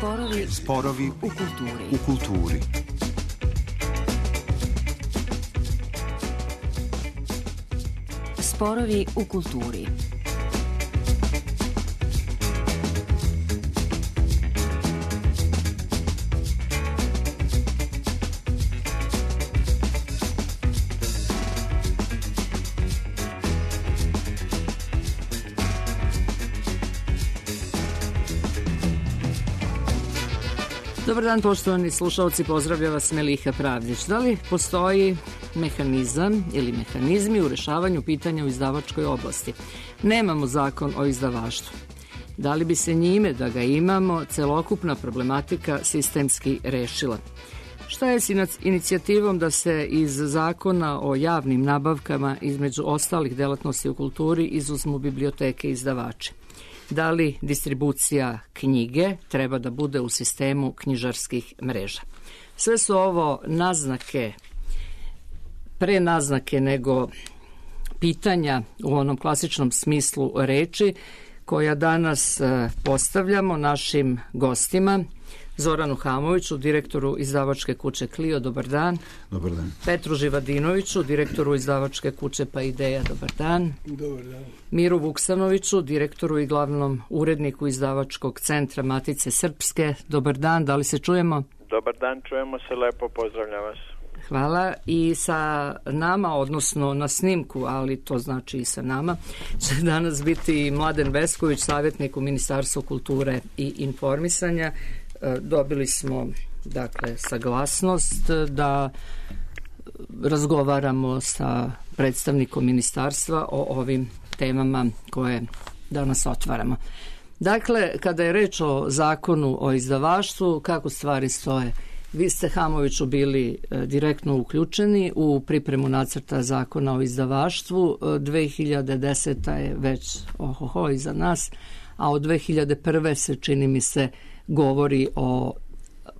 Sporovi u kulturi. Sporovi u kulturi. Dobar dan, poštovani slušalci, pozdravlja vas Meliha Pravdić. Da li postoji mehanizam ili mehanizmi u rešavanju pitanja u izdavačkoj oblasti? Nemamo zakon o izdavaštvu. Da li bi se njime, da ga imamo, celokupna problematika sistemski rešila? Šta je s inicijativom da se iz zakona o javnim nabavkama, između ostalih delatnosti u kulturi, izuzmu biblioteke i izdavači? Da li distribucija knjige treba da bude u sistemu knjižarskih mreža? Sve su ovo naznake, pre naznake nego pitanja u onom klasičnom smislu reči, koja danas postavljamo našim gostima. Zoranu Hamoviću, direktoru izdavačke kuće Clio, dobar dan. Dobar dan. Petru Živadinoviću, direktoru izdavačke kuće Pa Ideja, dobar dan. Dobar dan. Miru Vuksanoviću, direktoru i glavnom uredniku izdavačkog centra Matice Srpske, dobar dan, da li se čujemo? Dobar dan, čujemo se lepo, pozdravljam vas. Hvala. I sa nama, odnosno na snimku, ali to znači i sa nama, će danas biti Mladen Vesković, savjetnik u Ministarstvu kulture i informisanja. Dobili smo, dakle, saglasnost da razgovaramo sa predstavnikom ministarstva o ovim temama koje danas otvaramo. Dakle, kada je reč o zakonu o izdavaštvu, kako stvari stoje? Vi ste, Hamoviću, bili direktno uključeni u pripremu nacrta zakona o izdavaštvu. 2010. je već iza nas, a od 2001. se, čini mi se, govori o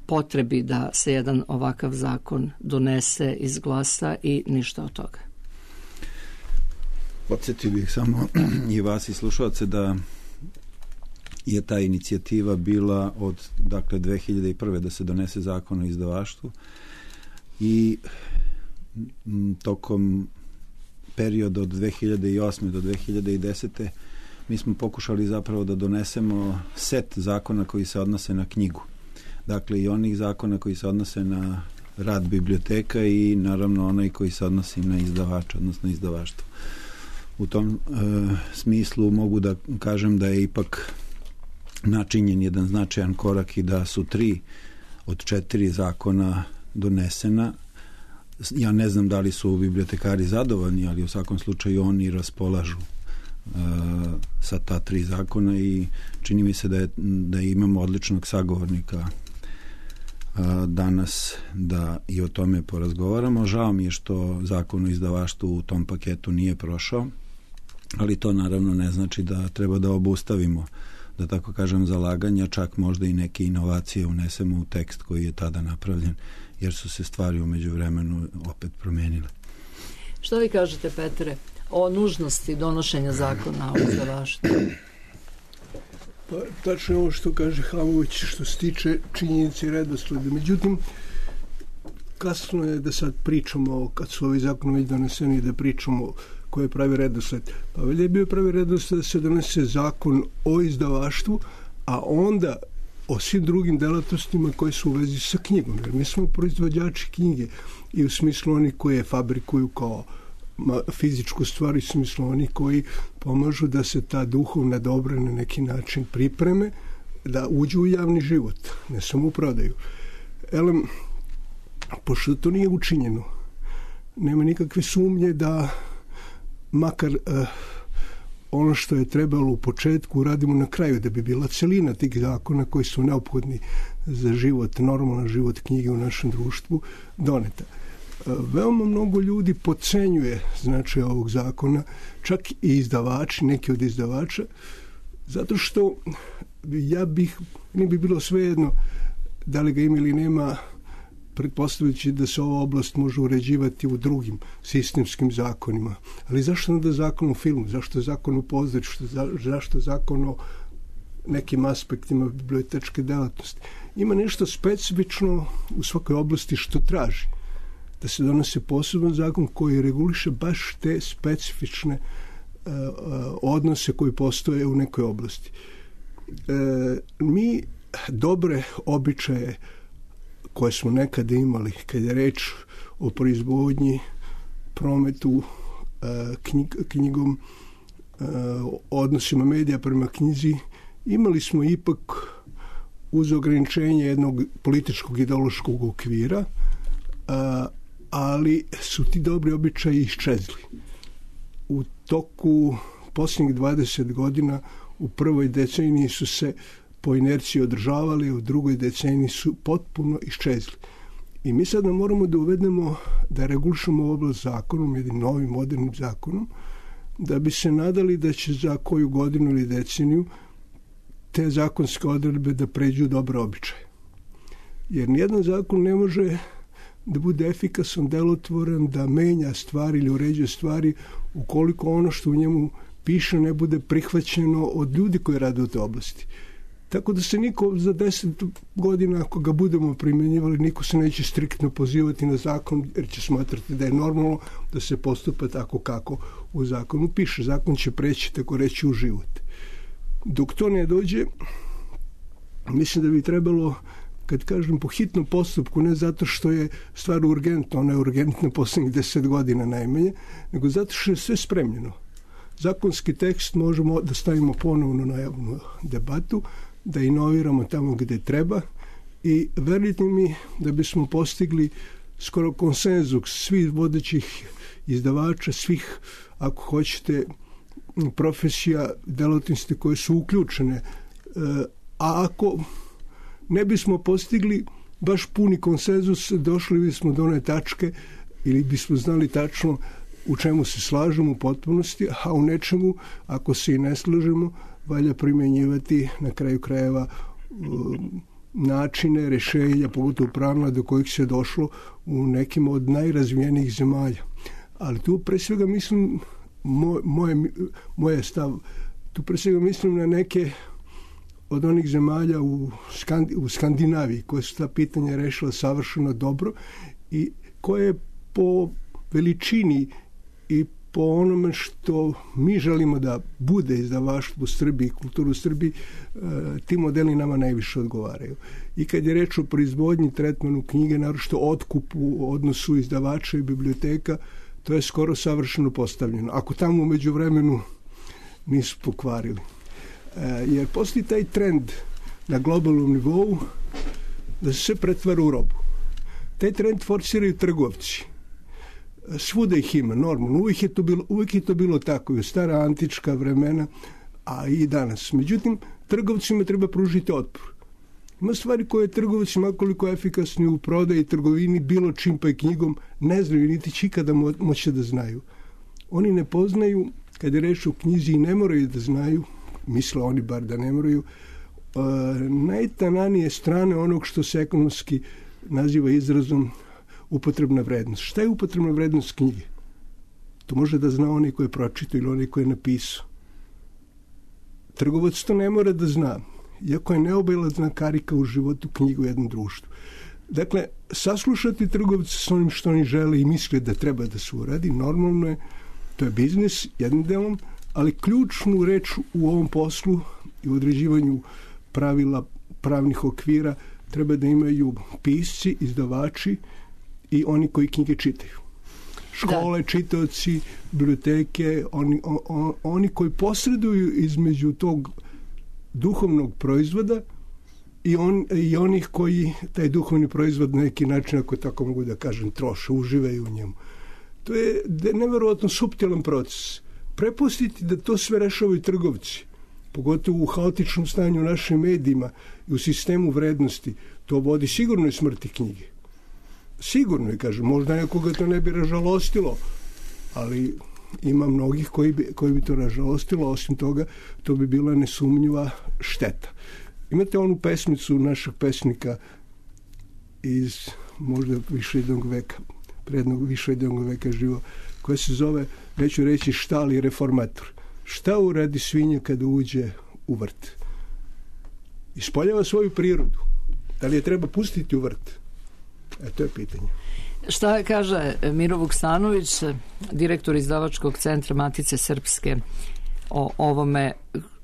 potrebi da se jedan ovakav zakon donese, izglasa i ništa od toga. Podsjetio bih samo i vas i slušalce da je ta inicijativa bila od 2001. da se donese zakon o izdavaštvu i tokom perioda od 2008. do 2010. mi smo pokušali zapravo da donesemo set zakona koji se odnose na knjigu. Dakle, i onih zakona koji se odnose na rad biblioteka i naravno onaj koji se odnosi na izdavača, odnosno izdavaštvo. U tom smislu mogu da kažem da je ipak načinjen jedan značajan korak i da su 3 od 4 zakona donesena. Ja ne znam da li su bibliotekari zadovoljni, ali u svakom slučaju oni raspolažu sa ta 3 zakona i čini mi se da imamo odličnog sagovornika danas da i o tome porazgovaramo. Žao mi je što zakon o izdavaštvu u tom paketu nije prošao, ali to naravno ne znači da treba da obustavimo, da tako kažem, zalaganja, čak možda i neke inovacije unesemo u tekst koji je tada napravljen, jer su se stvari u međuvremenu opet promenile. Što vi kažete, Petre, o nužnosti donošenja zakona o izdavaštvu? Pa, tačno ovo što kaže Hamović što se tiče činjenice i redosleda. Međutim, kasno je da sad pričamo, kad su ovi zakoni već doneseni, da pričamo koji je pravi redosled. Pa velje je bio pravi redosled da se donese zakon o izdavaštvu, a onda o svim drugim delatnostima koje su u vezi sa knjigom. Jer mi smo proizvođači knjige i u smislu oni koje fabrikuju kao fizičku stvar, i u smislu oni koji pomažu da se ta duhovna dobra na neki način pripreme, da uđu u javni život, ne samo u prodaju. Elem, pošto to nije učinjeno, nema nikakve sumnje da makar ono što je trebalo u početku uradimo na kraju, da bi bila celina tih zakona koji su neophodni za život, normalan život knjige u našem društvu doneta. Veoma mnogo ljudi podcenjuje značaj ovog zakona, čak i izdavači, neki od izdavača, zato što ne bi bilo svejedno da li ga ima ili nema, pretpostavljajući da se ova oblast može uređivati u drugim sistemskim zakonima. Ali zašto onda zakon o filmu? Zašto zakon o pozorištu? Zašto zakon o nekim aspektima bibliotečke delatnosti. Ima nešto specifično u svakoj oblasti što traži da se donose poseban zakon koji reguliše baš te specifične odnose koji postoje u nekoj oblasti. Mi dobre običaje koje smo nekada imali, kad je reč o proizvodnji, prometu, knjigom, odnosima medija prema knjizi, imali smo ipak uz ograničenje jednog političkog ideološkog okvira, ali su ti dobri običaji iščezli. U toku posljednjih 20 godina u prvoj deceniji su se po inerciji održavali, u drugoj deceniji su potpuno iščezli. I mi sada moramo da uvedemo, da regulišemo oblast zakonom, jednim novim modernim zakonom, da bi se nadali da će za koju godinu ili deceniju te zakonske odredbe da pređu dobre običaje. Jer nijedan zakon ne može da bude efikasan, delotvoran, da menja stvari ili uređuje stvari ukoliko ono što u njemu piše ne bude prihvaćeno od ljudi koji rade u toj oblasti. Tako da se niko za 10 godina, ako ga budemo primjenjivali, niko se neće striktno pozivati na zakon, jer će smatrati da je normalno da se postupa tako kako u zakonu piše. Zakon će preći, tako reći, u život. Dok to ne dođe, mislim da bi trebalo, kad kažem po hitnom postupku, ne zato što je stvar urgentna, ona je urgentna posljednjih 10 godina najmanje, nego zato što je sve spremljeno. Zakonski tekst možemo da stavimo ponovno na javnu debatu, da inoviramo tamo gde treba i verujte mi da bismo postigli skoro konsenzus svih vodećih izdavača, svih, ako hoćete, profesija, delatnosti koje su uključene. A ako ne bismo postigli baš puni konsenzus, došli bismo do one tačke ili bismo znali tačno u čemu se slažemo u potpunosti, a u nečemu, ako se i ne slažemo, valja primjenjivati na kraju krajeva načine, rešenja, pogotovo pravila do kojih se došlo u nekim od najrazvijenijih zemalja. Ali tu pre svega mislim, moje stav, tu pre svega mislim na neke od onih zemalja u Skandinaviji koje su ta pitanja rešila savršeno dobro i koje po veličini i po onome što mi želimo da bude izdavaštvo u Srbiji, kulturu u Srbiji, ti modeli nama najviše odgovaraju. I kad je reč o proizvodnji, tretmanu knjige, naročito otkupu, odnosu izdavača i biblioteka, to je skoro savršeno postavljeno. Ako tamo u međuvremenu nisu pokvarili. Jer postoji taj trend na globalnom nivou da se sve pretvara u robu. Taj trend forsiraju trgovci. Svuda ih ima, normalno. Uvijek je to bilo tako i u stara antička vremena, a i danas. Međutim, trgovcima treba pružiti otpor. Ima stvari koje trgovci, makoliko efikasni u prodaji, trgovini, bilo čim pa i knjigom, ne znaju, niti će ikada moći da znaju. Oni ne poznaju, kad je reč o knjizi, i ne moraju da znaju, misle oni bar da ne moraju, najtananije strane onog što se ekonomski naziva izrazom upotrebna vrednost. Šta je upotrebna vrednost knjige? To može da zna onaj ko je pročitao ili onaj ko je napisao. Trgovac to ne mora da zna, iako je neobilazna karika u životu knjigu u jednom društvu. Dakle, saslušati trgovce s onim što oni žele i misle da treba da se uradi, normalno je, to je biznis jednim delom, ali ključnu reč u ovom poslu i u određivanju pravila, pravnih okvira treba da imaju pisci, izdavači i oni koji knjige čitaju. Škole, čitaoci, biblioteke, oni koji posreduju između tog duhovnog proizvoda i onih koji taj duhovni proizvod na neki način, ako tako mogu da kažem, troše, uživaju u njemu. To je neverovatno suptilan proces. Prepustiti da to sve rešavaju trgovci, pogotovo u haotičnom stanju u našim medijima i u sistemu vrednosti, to vodi sigurno i smrti knjige. Sigurno je, kažem, možda nekoga to ne bi ražalostilo, ali ima mnogih koji bi to ražalostilo, osim toga to bi bila nesumnjiva šteta. Imate onu pesmicu našeg pesnika iz možda više jednog veka, prednog više jednog veka živo, koja se zove, neću reći šta, ali reformator. Šta uradi svinja kada uđe u vrt? ispoljava svoju prirodu. Da li je treba pustiti u vrt? To je pitanje. Šta kaže Miro Vuksanović, direktor izdavačkog centra Matice Srpske, o ovome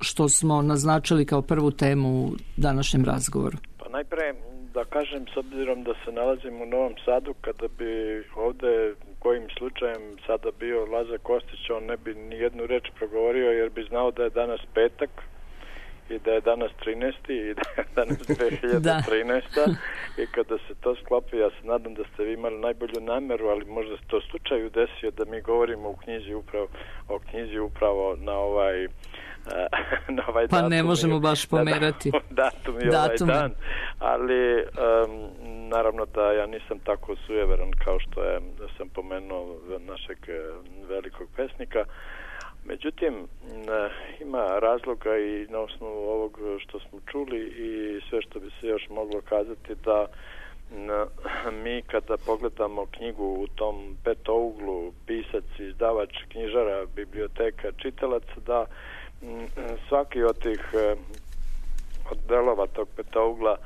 što smo naznačili kao prvu temu u današnjem razgovoru? Pa najpre da kažem, s obzirom da se nalazim u Novom Sadu, kada bi ovde kojim slučajem sada bio Lazar Kostić, on ne bi ni jednu reč progovorio, jer bi znao da je danas petak i da je danas 13. i da je danas 2013. I kada se to sklopi, ja se nadam da ste vi imali najbolju nameru, ali možda se to slučaju desio da mi govorimo o knjizi upravo na ovaj pa datum, ne možemo baš pomerati datum i ovaj dan, ali naravno da ja nisam tako sujeveran kao što je, da sam pomenuo našeg velikog pesnika. Međutim, ima razloga i na osnovu ovog što smo čuli i sve što bi se još moglo kazati, da mi kada pogledamo knjigu u tom petouglu, pisac, izdavač, knjižara, biblioteka, čitalac, da svaki od tih od delova tog petougla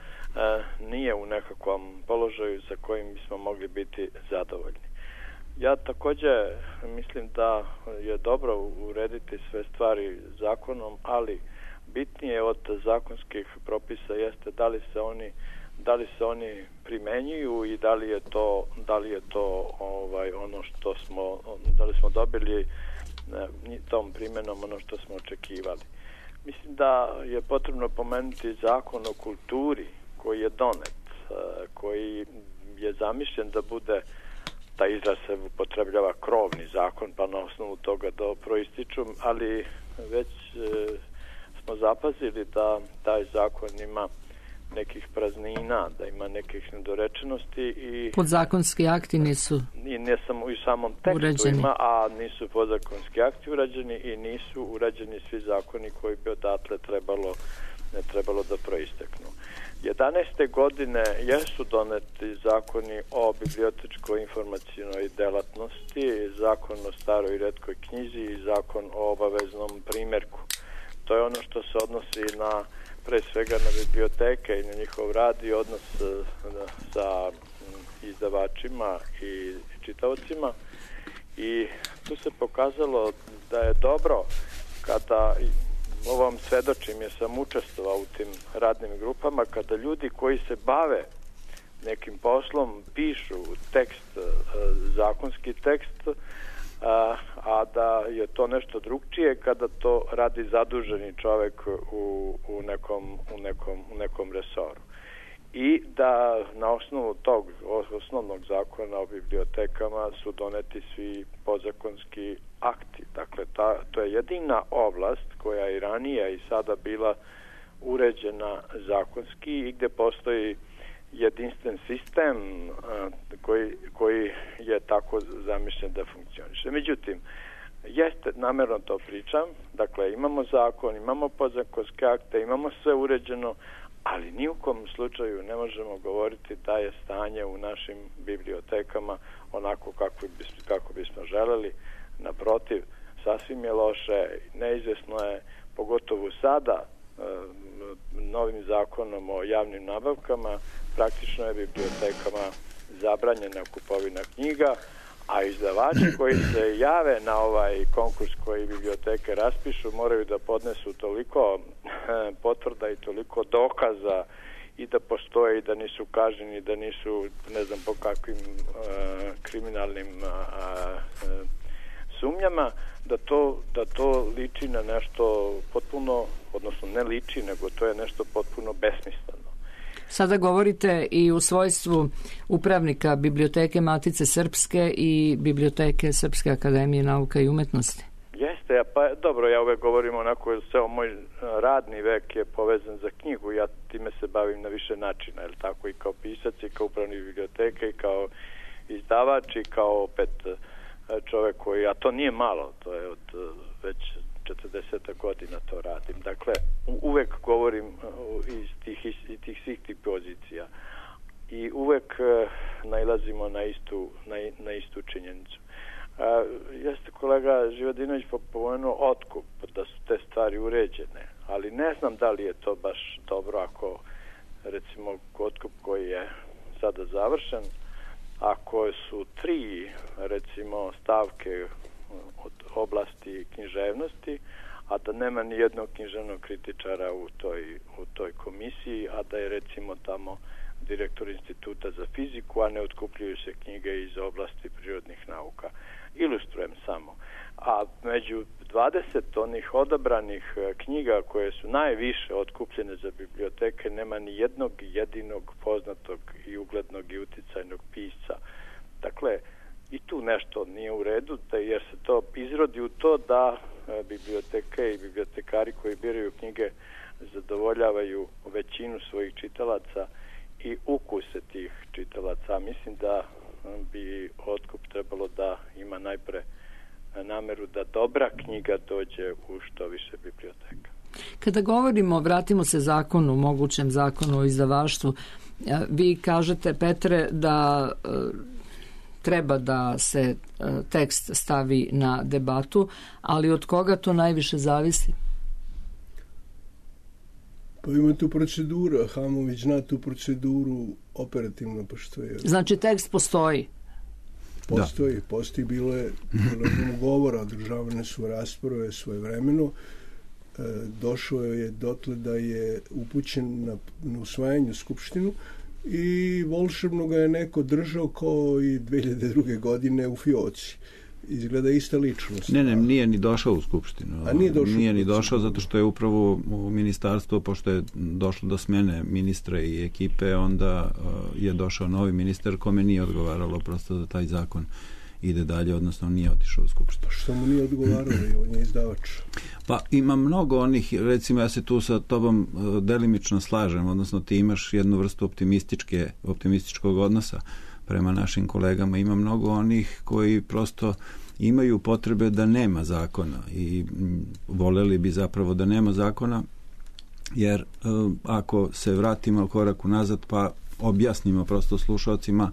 nije u nekakvom položaju za kojim bismo mogli biti zadovoljni. Ja također mislim da je dobro urediti sve stvari zakonom, ali bitnije od zakonskih propisa jeste da li se oni primenjuju i da li je to ono što smo, da li smo dobili tom primjenom ono što smo očekivali. Mislim da je potrebno pomenuti zakon o kulturi koji je donet, koji je zamišljen da bude, taj izraz se upotrebljava krovni zakon, pa na osnovu toga da proističu, ali već smo zapazili da taj zakon ima nekih praznina, da ima nekih nedorečenosti i podzakonski akti nisu i ne samo u samom tekstu urađeni. Ima, a nisu podzakonski akti urađeni i nisu urađeni svi zakoni koji bi odatle trebalo da proisteknu. 11. godine jesu doneti zakoni o bibliotečkoj informacionoj delatnosti, zakon o staroj i retkoj knjizi i zakon o obaveznom primjerku. To je ono što se odnosi na pre svega na biblioteke i na njihov rad i odnos sa izdavačima i čitaocima, i tu se pokazalo da je dobro kada ovom svedočim, jer sam učestvovao u tim radnim grupama, kada ljudi koji se bave nekim poslom pišu tekst, zakonski tekst, a da je to nešto drugčije kada to radi zaduženi čovjek u nekom resoru. I da na osnovu tog osnovnog zakona o bibliotekama su doneti svi podzakonski akti. Dakle, to je jedina oblast koja je ranije i sada bila uređena zakonski i gdje postoji jedinstven sistem koji je tako zamišljen da funkcioniše. Međutim, namjerno to pričam, dakle imamo zakon, imamo podzakonske akte, imamo sve uređeno, ali ni u kom slučaju ne možemo govoriti da je stanje u našim bibliotekama onako kako bismo želeli. Naprotiv, sasvim je loše, neizvjesno je, pogotovo sada, novim zakonom o javnim nabavkama, praktično je bibliotekama zabranjena kupovina knjiga, a izdavači koji se jave na ovaj konkurs koji biblioteke raspišu moraju da podnesu toliko potvrda i toliko dokaza i da postoje i da nisu kažnjeni, da nisu ne znam po kakvim kriminalnim sumnjama, da to liči na nešto potpuno, odnosno ne liči, nego to je nešto potpuno besmisleno. Sada govorite i u svojstvu upravnika Biblioteke Matice Srpske i Biblioteke Srpske akademije nauka i umetnosti. Jeste, pa dobro, ja uvek govorim onako, ceo moj radni vek je povezan za knjigu, ja time se bavim na više načina, je li tako, i kao pisac, i kao upravnik biblioteke, i kao izdavač, i kao opet čovek koji, a to nije malo, to je od već 40 godina to radim. Dakle, uvek govorim iz tih svih tih pozicija i uvek nailazimo na istu činjenicu. Jeste kolega Živadinović pomenuo otkup, da su te stvari uređene, ali ne znam da li je to baš dobro ako recimo otkup koji je sada završen, ako su 3 recimo stavke od oblasti književnosti, a da nema ni jednog književnog kritičara u toj komisiji, a da je recimo tamo direktor instituta za fiziku, a ne otkupljuju se knjige iz oblasti prirodnih nauka. Ilustrujem samo. A među 20 onih odabranih knjiga koje su najviše otkupljene za biblioteke nema ni jednog jedinog poznatog i uglednog i uticajnog pisca. Dakle, i tu nešto nije u redu, jer se to izrodi u to da biblioteke i bibliotekari koji biraju knjige zadovoljavaju većinu svojih čitalaca i ukuse tih čitalaca. Mislim da bi otkup trebalo da ima najpre nameru da dobra knjiga dođe u što više biblioteka. Kada govorimo, vratimo se zakonu, mogućem zakonu o izdavaštvu, vi kažete, Petre, da treba da se tekst stavi na debatu, ali od koga to najviše zavisi? Pa ima tu procedura, Hamović zna tu proceduru operativno, pa što je... Znači tekst postoji? Postoji, bilo je govora, održavane su rasprave svojevremeno, došao je dotle da je upućen na usvajanje Skupštinu i volšebno ga je neko držao kao i 2002. godine u fioci. Izgleda ista ličnost. Ne, nije ni došao u Skupštinu. A nije ni došao zato što je upravo u ministarstvo, pošto je došlo do smene ministra i ekipe, onda je došao novi ministar kome nije odgovaralo prosto da taj zakon ide dalje, odnosno nije otišao u Skupštinu. Pa što mu nije odgovaralo? On je izdavač. Pa ima mnogo onih, recimo ja se tu sa tobom delimično slažem, odnosno ti imaš jednu vrstu optimističkog odnosa prema našim kolegama. Ima mnogo onih koji prosto imaju potrebe da nema zakona i voljeli bi zapravo da nema zakona, jer ako se vratimo korak unazad pa objasnimo prosto slušalcima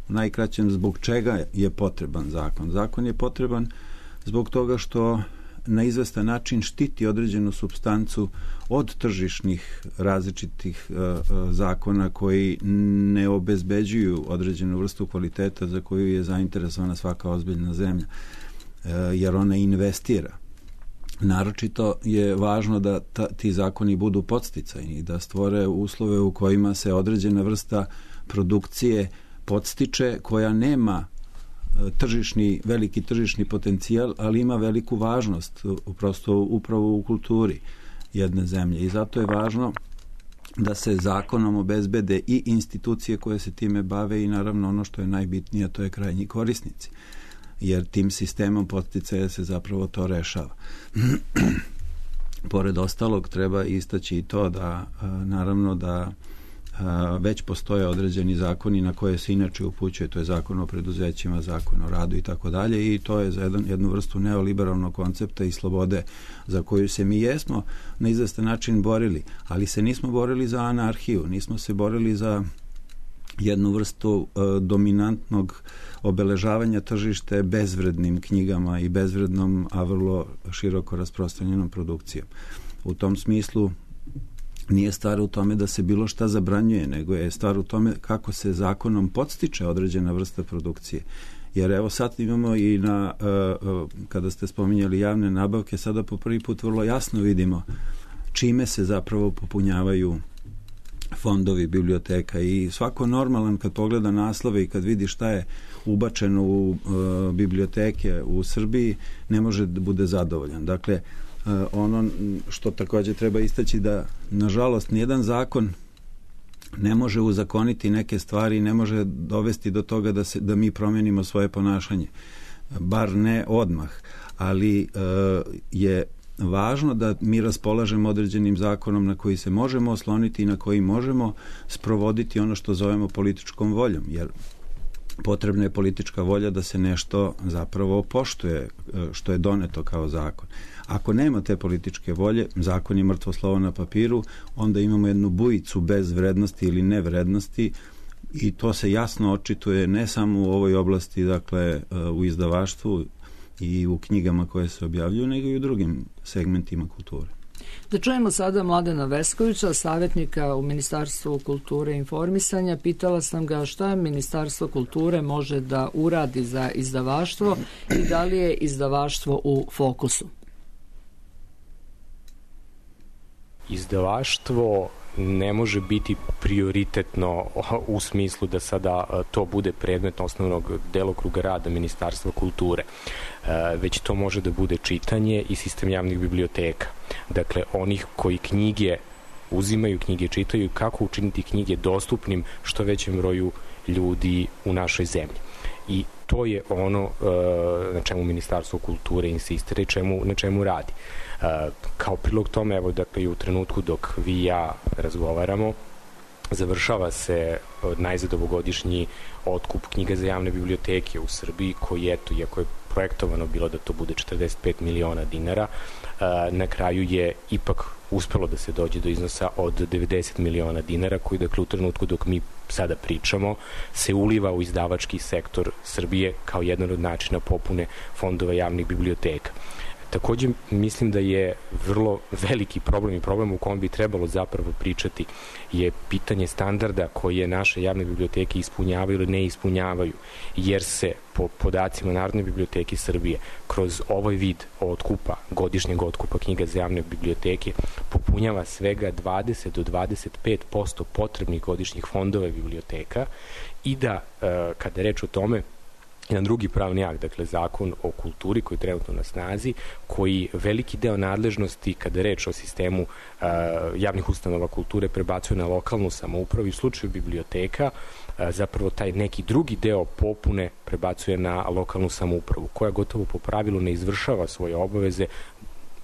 u najkraćem zbog čega je potreban zakon. Zakon je potreban zbog toga što na izvestan način štiti određenu supstancu od tržišnih različitih zakona koji ne obezbeđuju određenu vrstu kvaliteta za koju je zainteresovana svaka ozbiljna zemlja, jer ona investira. Naročito je važno da ti zakoni budu podsticajni, da stvore uslove u kojima se određena vrsta produkcije podstiče koja nema veliki tržišni potencijal, ali ima veliku važnost prosto upravo u kulturi jedne zemlje. I zato je važno da se zakonom obezbede i institucije koje se time bave i naravno ono što je najbitnije, to je krajnji korisnici. Jer tim sistemom podsticaja se zapravo to rešava. Pored ostalog treba istaći i to da naravno da već postoje određeni zakoni na koje se inače upućuje, to je zakon o preduzećima, zakon o radu i tako dalje, i to je za jednu vrstu neoliberalnog koncepta i slobode za koju se mi jesmo na izvestan način borili, ali se nismo borili za anarhiju, nismo se borili za jednu vrstu dominantnog obeležavanja tržište bezvrednim knjigama i bezvrednom, a vrlo široko rasprostranjenom produkcijom. U tom smislu nije stvar u tome da se bilo šta zabranjuje, nego je stvar u tome kako se zakonom podstiče određena vrsta produkcije. Jer evo sad imamo i kada ste spominjali javne nabavke, sada po prvi put vrlo jasno vidimo čime se zapravo popunjavaju fondovi biblioteka i svako normalan kad pogleda naslove i kad vidi šta je ubačeno u biblioteke u Srbiji ne može da bude zadovoljan. Dakle, ono što također treba istaći da nažalost nijedan zakon ne može uzakoniti neke stvari i ne može dovesti do toga da mi promijenimo svoje ponašanje. Bar ne odmah, ali je važno da mi raspolažemo određenim zakonom na koji se možemo osloniti i na koji možemo sprovoditi ono što zovemo političkom voljom, jer potrebna je politička volja da se nešto zapravo poštuje što je doneto kao zakon. Ako nema te političke volje, zakon je mrtvo slovo na papiru, onda imamo jednu bujicu bez vrednosti ili nevrednosti i to se jasno očituje ne samo u ovoj oblasti, dakle u izdavaštvu i u knjigama koje se objavljuju, nego i u drugim segmentima kulture. Da čujemo sada Mladena Veskovića, savjetnika u Ministarstvu kulture i informisanja. Pitala sam ga šta Ministarstvo kulture može da uradi za izdavaštvo i da li je izdavaštvo u fokusu. Izdavaštvo ne može biti prioritetno u smislu da sada to bude predmet osnovnog delokruga rada Ministarstva kulture, već to može da bude čitanje i sistem javnih biblioteka. Dakle, onih koji knjige uzimaju, knjige čitaju, kako učiniti knjige dostupnim što većem broju ljudi u našoj zemlji. I to je ono na čemu Ministarstvo kulture insistira i na čemu radi. Kao prilog tome, evo, dakle, i u trenutku dok vi i ja razgovaramo, završava se najzad ovogodišnji otkup knjiga za javne biblioteke u Srbiji, koji, eto, iako je projektovano bilo da to bude 45 miliona dinara, na kraju je ipak uspelo da se dođe do iznosa od 90 miliona dinara, koji, dakle, u trenutku dok mi sada pričamo, se uliva u izdavački sektor Srbije kao jedan od načina popune fondova javnih biblioteka. Takođe, mislim da je vrlo veliki problem i problem u kom bi trebalo zapravo pričati je pitanje standarda koje naše javne biblioteke ispunjavaju ili ne ispunjavaju, jer se po podacima Narodne biblioteke Srbije kroz ovaj vid otkupa, godišnjeg otkupa knjiga za javne biblioteke popunjava svega 20 do 25% potrebnih godišnjih fondova biblioteka i da, kada je reč o tome, jedan drugi pravni akt, dakle Zakon o kulturi koji je trenutno na snazi, koji veliki deo nadležnosti kada je reč o sistemu javnih ustanova kulture prebacuje na lokalnu samoupravu i u slučaju biblioteka zapravo taj neki drugi deo popune prebacuje na lokalnu samoupravu, koja gotovo po pravilu ne izvršava svoje obaveze,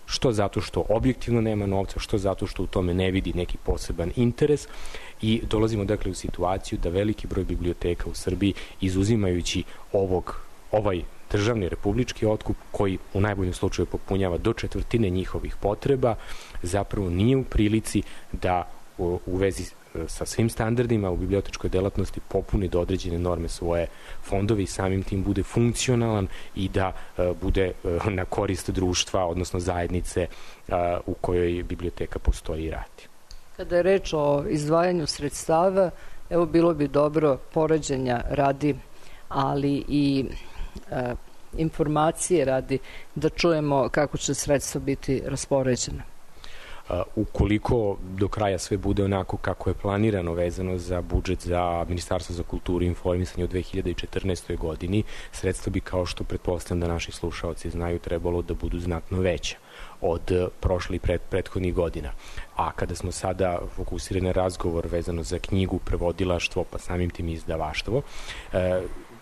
što zato što objektivno nema novca, što zato što u tome ne vidi neki poseban interes, i dolazimo, dakle, u situaciju da veliki broj biblioteka u Srbiji, izuzimajući ovaj državni republički otkup, koji u najboljem slučaju popunjava do 1/4 njihovih potreba, zapravo nije u prilici da u vezi sa svim standardima u bibliotečkoj delatnosti popuni do određene norme svoje fondove i samim tim bude funkcionalan i da bude na korist društva, odnosno zajednice u kojoj biblioteka postoji i radi. Kada je reč o izdvajanju sredstava, evo, bilo bi dobro poređenja radi, ali i informacije radi, da čujemo kako će sredstva biti raspoređena. Ukoliko do kraja sve bude onako kako je planirano vezano za budžet za Ministarstvo za kulturu i informisanje u 2014. godini, sredstva bi, kao što pretpostavljam da naši slušaoci znaju, trebalo da budu znatno veća od prošlih i prethodnih godina. A kada smo sada fokusirani na razgovor vezano za knjigu, prevodilaštvo, pa samim tim i izdavaštvo,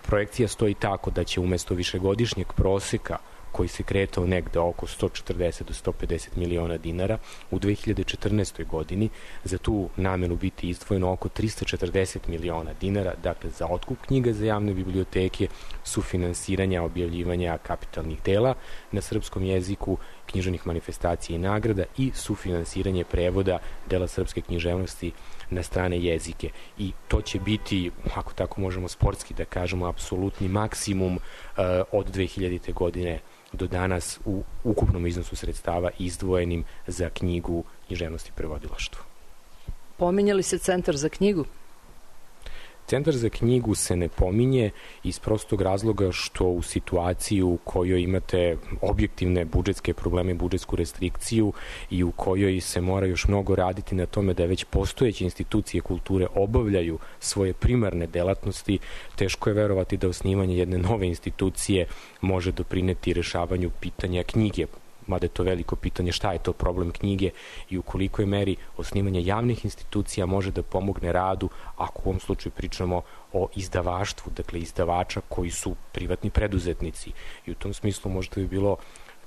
projekcija stoji tako da će umesto višegodišnjeg proseka koji se kretao negde oko 140 do 150 miliona dinara, u 2014. godini za tu namenu biti izdvojeno oko 340 miliona dinara, dakle za otkup knjiga za javne biblioteke, sufinansiranja objavljivanja kapitalnih dela na srpskom jeziku, književnih manifestacija i nagrada i sufinansiranje prevoda dela srpske književnosti na strane jezike. I to će biti, ako tako možemo sportski da kažemo, apsolutni maksimum od 2000. godine do danas u ukupnom iznosu sredstava izdvojenim za knjigu, književnost i prevodilaštvo. Pominjali se Centar za knjigu? Centar za knjigu se ne pominje iz prostog razloga što u situaciji u kojoj imate objektivne budžetske probleme, budžetsku restrikciju i u kojoj se mora još mnogo raditi na tome da već postojeće institucije kulture obavljaju svoje primarne delatnosti, teško je verovati da osnivanje jedne nove institucije može doprineti rešavanju pitanja knjige, mada je to veliko pitanje šta je to problem knjige i u kolikoj meri osnivanje javnih institucija može da pomogne radu, ako u ovom slučaju pričamo o izdavaštvu, dakle izdavača koji su privatni preduzetnici. I u tom smislu možda bi bilo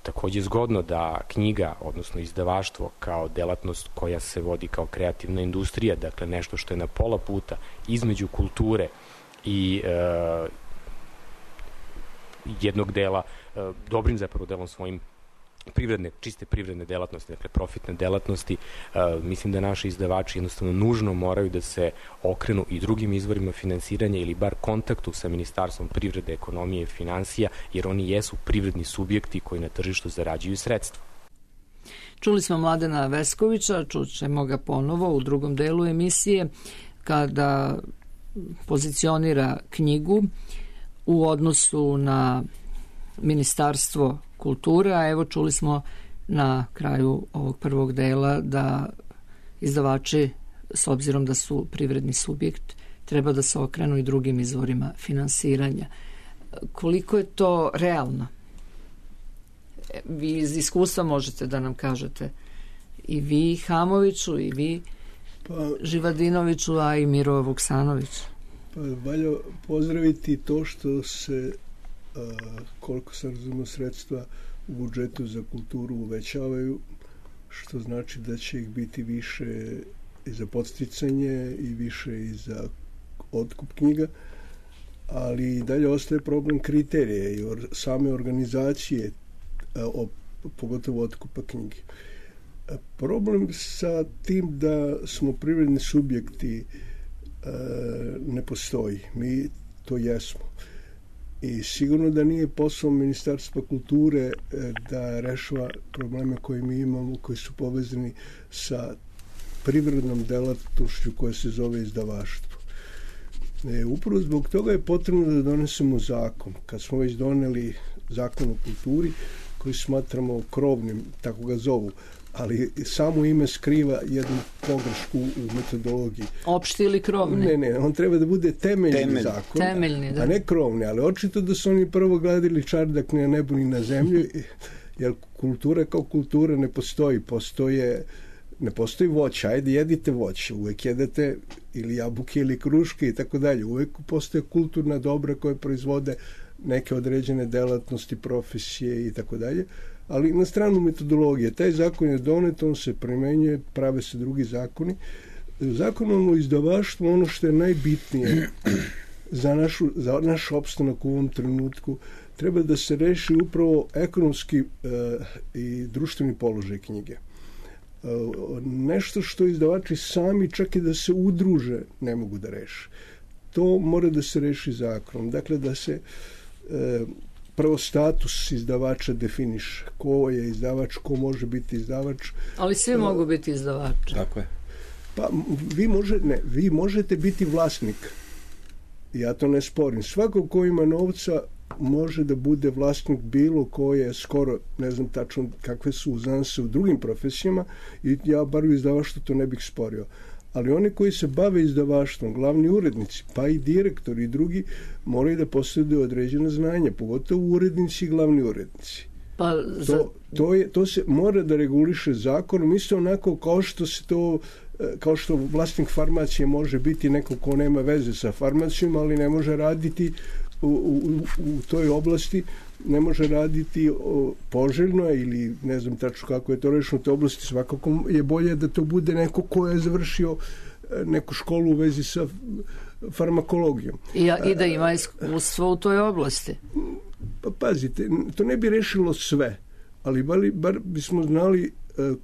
takođe zgodno da knjiga, odnosno izdavaštvo kao delatnost koja se vodi kao kreativna industrija, dakle nešto što je na pola puta između kulture i jednog dela, dobrim zapravo delom svojim čiste privredne delatnosti, dakle profitne delatnosti, mislim da naši izdavači jednostavno nužno moraju da se okrenu i drugim izvorima finansiranja ili bar kontaktu sa Ministarstvom privrede, ekonomije i finansija, jer oni jesu privredni subjekti koji na tržištu zarađuju sredstva. Čuli smo Mladena Veskovića, čućemo ga ponovo u drugom delu emisije kada pozicionira knjigu u odnosu na Ministarstvo kulture, a evo čuli smo na kraju ovog prvog dela da izdavači, s obzirom da su privredni subjekt, treba da se okrenu i drugim izvorima finansiranja. Koliko je to realno? Vi iz iskustva možete da nam kažete, i vi Hamoviću, i vi Živadinoviću, a i Miro Vuksanović. Pa valja pozdraviti to što se, koliko sam razumio, sredstva u budžetu za kulturu uvećavaju, što znači da će ih biti više i za podsticanje i više i za otkup knjiga, ali i dalje ostaje problem kriterije i same organizacije, pogotovo otkupa knjige. Problem sa tim da smo privredni subjekti ne postoji. Mi to jesmo. I sigurno da nije posao Ministarstva kulture da rešava probleme koje mi imamo, koji su povezani sa privrednom delatnošću koja se zove izdavaštvo. Upravo zbog toga je potrebno da donesemo zakon. Kad smo već doneli zakon o kulturi, koji smatramo krovnim, tako ga zovu, ali samo ime skriva jednu pogrešku u metodologiji. Opšti ili krovni? Ne, on treba da bude temeljni zakon, a ne krovni, ali očito da su oni prvo gledali čardak ni na nebu ni na zemlju, jer kultura kao kultura ne postoji. Ne postoji voće, ajde jedite voće, uvek jedete ili jabuke ili kruške i tako dalje. Uvek postoje kulturna dobra koje proizvode neke određene delatnosti, profesije i tako dalje. Ali na stranu metodologije, taj zakon je donet, on se primenjuje, prave se drugi zakoni. Zakonom o izdavaštvu, ono što je najbitnije za naš opstanak u ovom trenutku, treba da se reši upravo ekonomski i društveni položaj knjige. Nešto što izdavači sami, čak i da se udruže, ne mogu da reše. To mora da se reši zakonom. Dakle, da se prvo status izdavača definiše. Ko je izdavač, ko može biti izdavač. Ali svi mogu biti izdavači. Tako je. Pa vi možete biti vlasnik. Ja to ne sporim. Svako ko ima novca može da bude vlasnik bilo koje, skoro, ne znam tačno kakve su uzanse u drugim profesijama, i ja bar u izdavaštvu to ne bih sporio. Ali oni koji se bave izdavaštvom, glavni urednici, pa i direktori i drugi, moraju da posjeduju određene znanja, pogotovo urednici i glavni urednici. To se mora da reguliše zakonom, isto onako kao što vlasnik farmacije može biti neko ko nema veze sa farmacijom, ali ne može raditi u toj oblasti, ne može raditi poželjno ili ne znam tačno kako je to rešeno u toj oblasti. Svakako je bolje da to bude neko ko je završio neku školu u vezi sa farmakologijom. I da ima iskustvo u toj oblasti. Pa pazite, to ne bi rešilo sve, ali bar bismo znali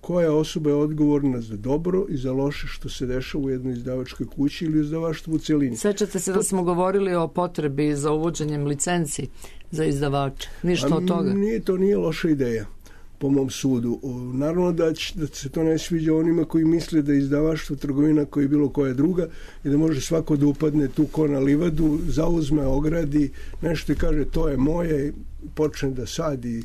koja osoba je odgovorna za dobro i za loše što se dešava u jednoj izdavačkoj kući ili izdavaštvu u celini. Sećate se da smo govorili o potrebi za uvođenjem licenci za izdavače. Ništa od toga. To nije loša ideja, po mom sudu. Naravno da se to ne sviđa onima koji misle da je izdavaštvo trgovina koja je bilo koja druga i da može svako da upadne tu ko na livadu, zauzme, ogradi, nešto i kaže to je moje, počne da sadi,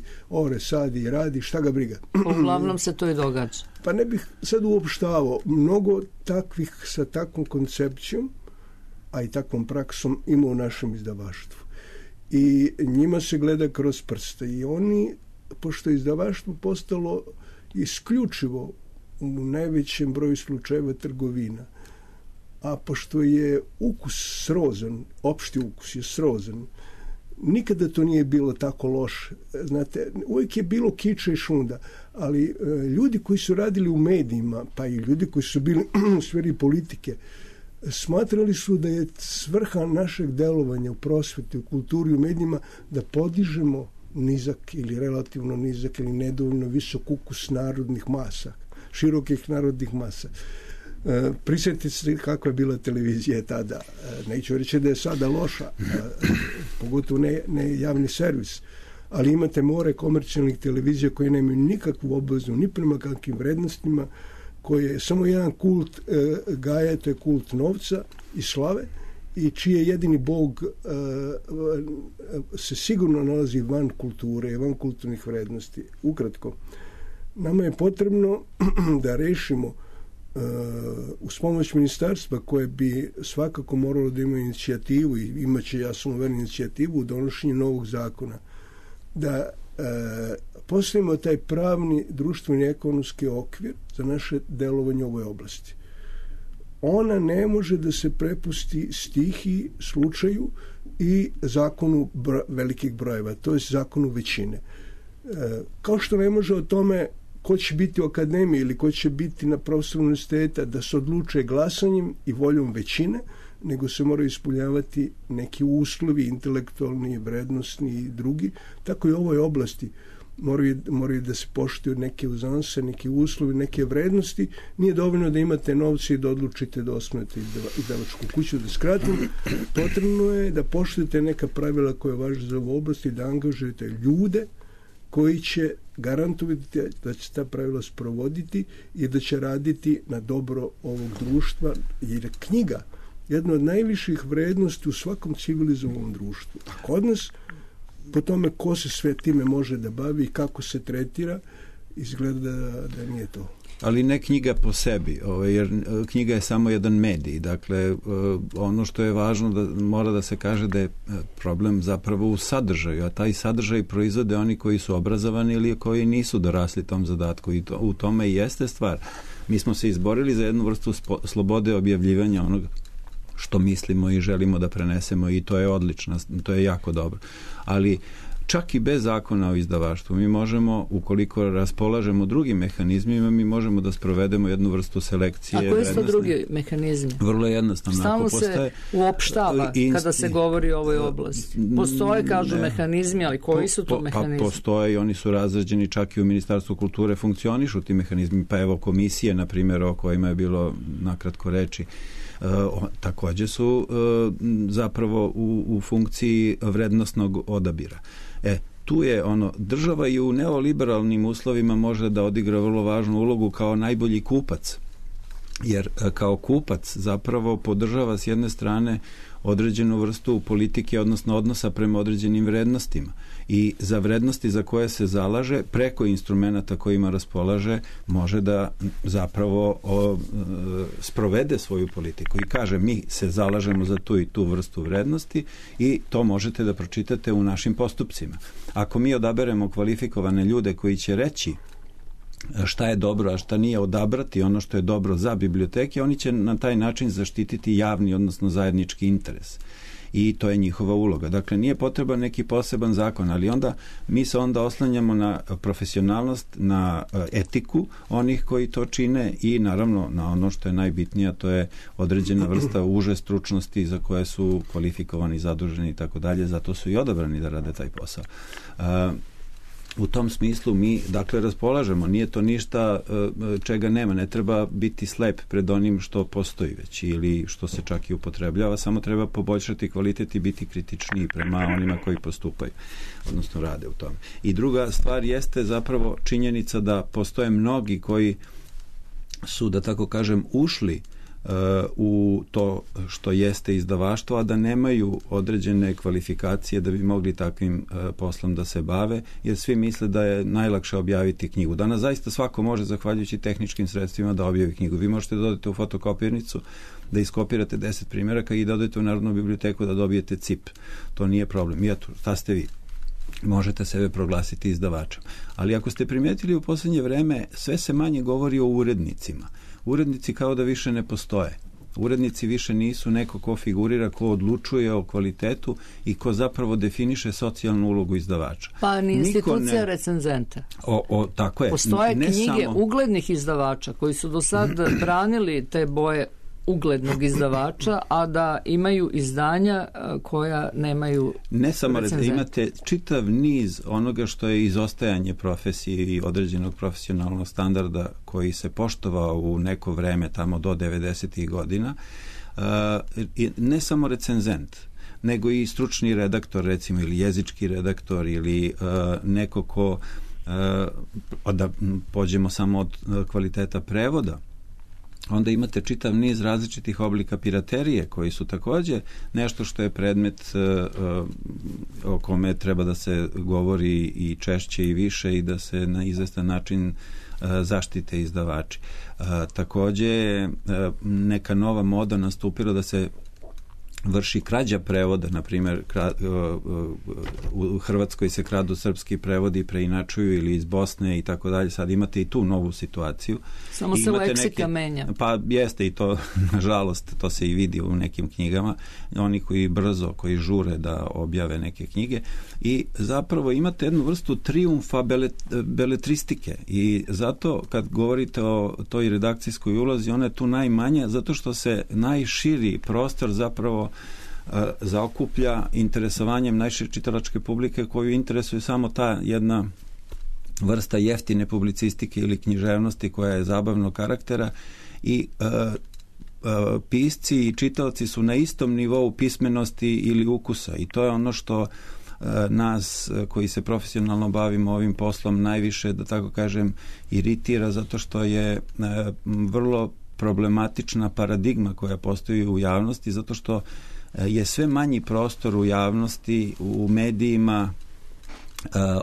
sadi i radi, šta ga briga. Uglavnom se to i događa. Pa ne bih sad uopštavao. Mnogo takvih sa takvom koncepcijom, a i takvom praksom ima u našem izdavaštvu. I njima se gleda kroz prste. I oni, pošto je izdavaštvo postalo isključivo u najvećem broju slučajeva trgovina, a pošto je ukus srozan, opšti ukus je srozan, nikada to nije bilo tako loše. Znate, uvijek je bilo kiča i šunda, ali ljudi koji su radili u medijima, pa i ljudi koji su bili u sferi politike, smatrali su da je svrha našeg delovanja u prosveti, u kulturi, u medijima, da podižemo nizak ili relativno nizak ili nedovoljno visok ukus narodnih masa, širokih narodnih masa. Prisjetite se kakva je bila televizija tada. Neću reći da je sada loša, pogotovo ne javni servis, ali imate more komercijalnih televizija koje nemaju nikakvu obvezu ni prema kakvim vrednostima, koje samo jedan kult gaja, to je kult novca i slave, i čiji je jedini bog se sigurno nalazi van kulture i van kulturnih vrednosti. Ukratko, nama je potrebno da rešimo uz pomoć ministarstva koje bi svakako moralo da ima inicijativu i imaće, ja sam uveren, inicijativu u donošenju novog zakona, da postavimo taj pravni, društveni, ekonomski okvir za naše delovanje u ovoj oblasti. Ona ne može da se prepusti stihiji, slučaju i zakonu velikih brojeva, to je zakonu većine. Kao što ne može o tome ko će biti u akademiji ili ko će biti na profesoru univerziteta da se odluče glasanjem i voljom većine, nego se moraju ispunjavati neki uslovi, intelektualni, vrednostni i drugi. Tako i u ovoj oblasti moraju da se poštuju neke uzanse, neke uslovi, neke vrednosti. Nije dovoljno da imate novce i da odlučite da osnujete izdavačku kuću, da skratim. Potrebno je da poštujete neka pravila koja važe za ovu oblast i da angažujete ljude koji će garantovati da će ta pravila sprovoditi i da će raditi na dobro ovog društva, jer je knjiga jedna od najviših vrednosti u svakom civilizovanom društvu. A kod nas, po tome ko se sve time može da bavi i kako se tretira, izgleda da nije to. Ali ne knjiga po sebi, jer knjiga je samo jedan medij. Dakle, ono što je važno da mora da se kaže da je problem zapravo u sadržaju, a taj sadržaj proizvode oni koji su obrazovani ili koji nisu dorasli tom zadatku, i u tome i jeste stvar. Mi smo se izborili za jednu vrstu slobode objavljivanja onoga što mislimo i želimo da prenesemo, i to je odlično, to je jako dobro. Ali čak i bez zakona o izdavaštvu mi možemo, ukoliko raspolažemo drugim mehanizmima, mi možemo da sprovedemo jednu vrstu selekcije. A koji su to drugi mehanizmi? Vrlo jednostavno. Stalno se uopštava kada se govori o ovoj oblasti. Postoje, kažu, mehanizmi, ali koji su to mehanizmi? Pa postoje i oni su razrađeni, čak i u Ministarstvu kulture funkcionišu ti mehanizmi, pa evo komisije, na primjer, o kojima je bilo nakratko reči, također su zapravo u funkciji vrednostnog odabira. Tu je država i u neoliberalnim uslovima može da odigra vrlo važnu ulogu kao najbolji kupac, jer kao kupac zapravo podržava s jedne strane određenu vrstu politike, odnosno odnosa prema određenim vrednostima, i za vrednosti za koje se zalaže preko instrumenta kojima raspolaže može da zapravo sprovede svoju politiku i kaže mi se zalažemo za tu i tu vrstu vrednosti i to možete da pročitate u našim postupcima. Ako mi odaberemo kvalifikovane ljude koji će reći šta je dobro, a šta nije, odabrati ono što je dobro za biblioteke, oni će na taj način zaštititi javni, odnosno zajednički interes. I to je njihova uloga. Dakle, nije potreban neki poseban zakon, ali onda mi se onda oslanjamo na profesionalnost, na etiku onih koji to čine i naravno na ono što je najbitnije, a to je određena vrsta uže stručnosti za koje su kvalifikovani, zaduženi i tako dalje, zato su i odabrani da rade taj posao. U tom smislu mi, dakle, raspolažemo, nije to ništa čega nema, ne treba biti slep pred onim što postoji već ili što se čak i upotrebljava, samo treba poboljšati kvalitet i biti kritičniji prema onima koji postupaju, odnosno rade u tome. I druga stvar jeste zapravo činjenica da postoje mnogi koji su, da tako kažem, ušli u to što jeste izdavaštvo, a da nemaju određene kvalifikacije da bi mogli takvim poslom da se bave, jer svi misle da je najlakše objaviti knjigu. Danas zaista svako može, zahvaljujući tehničkim sredstvima, da objavi knjigu. Vi možete da odete u fotokopirnicu, da iskopirate 10 primjeraka i da odete u Narodnu biblioteku da dobijete CIP. To nije problem. I eto, šta ste vi? Možete sebe proglasiti izdavačem. Ali ako ste primijetili u posljednje vreme, sve se manje govori o urednicima. Urednici kao da više ne postoje. Urednici više nisu neko ko figurira, ko odlučuje o kvalitetu i ko zapravo definiše socijalnu ulogu izdavača. Pa ni institucija recenzenta. Tako je. Postoje knjige uglednih izdavača koji su do sad branili te boje uglednog izdavača, a da imaju izdanja koja nemaju ne samo imate čitav niz onoga što je izostajanje profesije i određenog profesionalnog standarda koji se poštovao u neko vreme tamo do 90. godina. Ne samo recenzent, nego i stručni redaktor, recimo, ili jezički redaktor, ili neko ko, da pođemo samo od kvaliteta prevoda, onda imate čitav niz različitih oblika piraterije koji su takođe nešto što je predmet o kome treba da se govori i češće i više i da se na izvestan način zaštite izdavači. Takođe neka nova moda nastupila da se vrši krađa prevoda, na primjer u Hrvatskoj se kradu srpski prevodi i preinačuju, ili iz Bosne i tako dalje. Sad imate i tu novu situaciju. Samo se leksika menja. Pa jeste i to, nažalost, to se i vidi u nekim knjigama. Oni koji brzo, koji žure da objave neke knjige, i zapravo imate jednu vrstu trijumfa beletristike, i zato kad govorite o toj redakcijskoj ulozi, ona je tu najmanja, zato što se najširi prostor zapravo zaokuplja interesovanjem najšire čitalačke publike, koju interesuje samo ta jedna vrsta jeftine publicistike ili književnosti koja je zabavnog karaktera, i pisci i čitaoci su na istom nivou pismenosti ili ukusa, i to je ono što nas koji se profesionalno bavimo ovim poslom najviše, da tako kažem, iritira, zato što je vrlo problematična paradigma koja postoji u javnosti, zato što je sve manji prostor u javnosti, u medijima,